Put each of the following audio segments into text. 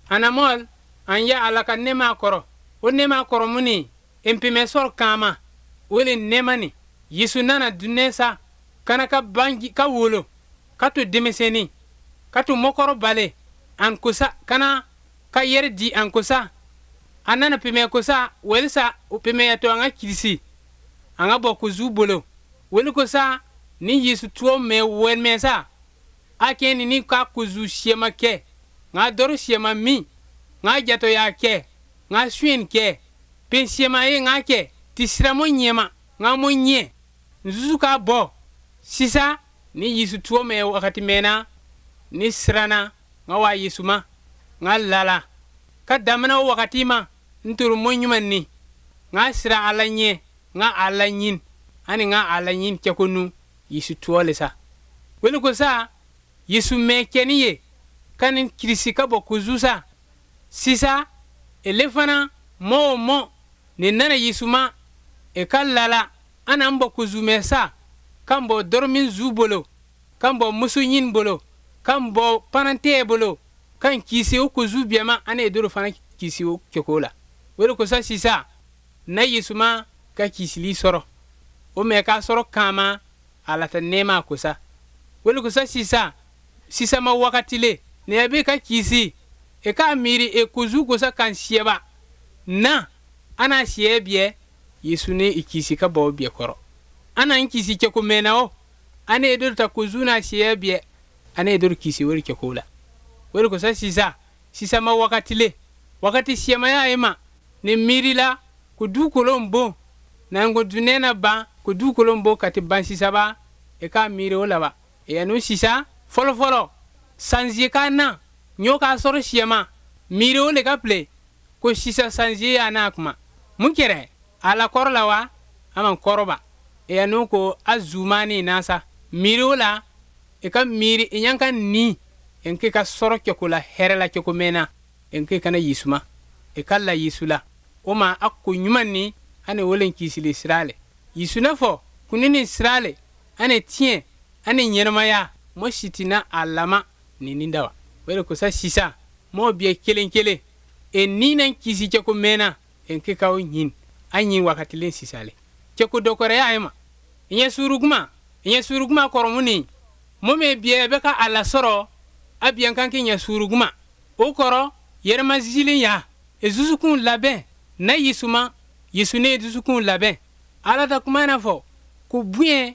Anamɔl an ya Ala ka nɛɛma kɔrɔ. O nɛɛma kɔrɔ mun ni npimɛ sɔrɔ kama o le nɛɛma ni. Yesu nana dunɛ sa kana ka bangi ka wolo ka to denmisɛnnin ka to mɔkɔrɔbale an kosa kana ka yɛrɛ di an kosa. A nana pimɛ kosa walisa o pimɛ to an ka kilisi an ka bɔ kuzu bolo. Weli kosa ni Yesu tuo mɛ wɛlmɛ sa a kɛ ni ka kuzu siyama kɛ nka dɔrɔ siyama min nka jatɔ y'a kɛ nka suyɛn kɛ pen siyama ye nka kɛ ti siramo ɲɛma nka mo ɲɛ nzuzu ka bɔ sisa ni Yesu tuo mɛ wakati mɛnna ni siranna nka wa Yesu ma nka lala ka damina o wakati ma n toro mo ɲuman ni nka sira Ala ɲɛ nka Ala ɲin ani nka Ala ɲin kɛko nu Yesu tuo le sa. Weli ko sa Yesu mɛ kɛni ye ka ni kirisi ka bɔ kuzu sa sisa ele fana mɔ o mɔ ni nana Yesu ma e ka lala an an bɔ kuzu mɛ sa kan bɔ dɔrɔmin zu bolo kan bɔ muso ɲin bolo kan bɔ panantɛ bolo kan kisi o kuzu biɛma ana e doro fana kisi o kɛko la. Weli ko sa sisa na Yesu ma ka kisili sɔrɔ o mɛ k'a sɔrɔ kama Ala ta nɛɛma kosa. Weli ko sa sisa sisa ma wakati le ne be ka kisi e ka miiri e kuzu kosa kan siyɛba na ana siyɛ biɛ Yesu ne i kisi ka bɔ biɛ kɔrɔ. Ana n kisi kɛko mɛnna o ana e doro ta kuzu na siyɛ biɛ ana e doro kisi wori kɛko la. Weli ko sa sisa sisa ma wakati le wakati siyɛmaya ye ma ne miiri la ko dukolon bon na n ko dunɛ na ban ko dukolon bon ka ti ban sisaba e ka miiri o la ba. E yanu sisa fɔlɔ fɔlɔ sanzie ka na ɲɔ k'a sɔrɔ siyɛma miiri o le ka pile ko sisa sanzie y'a n'a kuma mun kɛrɛ a la kɔrɔ la wa a man kɔrɔba. E yanu ko a zumani na sa miiri o la e ka miiri i ɲan ka ni en ke ka sɔrɔ kɛko la hɛrɛ la kɛko mɛnna en ke kana Yesu ma e ka la Yesu la o ma a ko ɲuman ni ane wolen kisili sira le. Yesu n'a fɔ kuni ni sira le ane tiɲɛ ane ɲɛnamaya mɔ si tɛna a lama ni nin dawa. O de kosa sisa mɔɔ biɛ kelen kelen e ni na kisi kɛko mɛnna en ke k'aw ɲin a ɲin wakatilen sisa le. Kɛko dɔkɔrɔya ye ma i ɲɛ suuruguma i ɲɛ suuruguma kɔrɔmu ni mɔ min biɛ bɛ ka a lasɔrɔ a biɛ kan k'i ɲɛ suuruguma o kɔrɔ yɛrɛmazilen ya e dusukun labɛn na Yesu ma Yesu ne ye dusukun labɛn. Ala ta kuma na fɔ ko bonya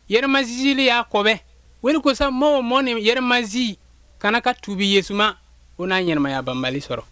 yɛrɛmazizili y'a kɔbɛ. Weli ko sa mɔ o mɔ ni yɛrɛmazi kana ka tubi Yesu ma o n'a ɲɛnamaya banbali sɔrɔ.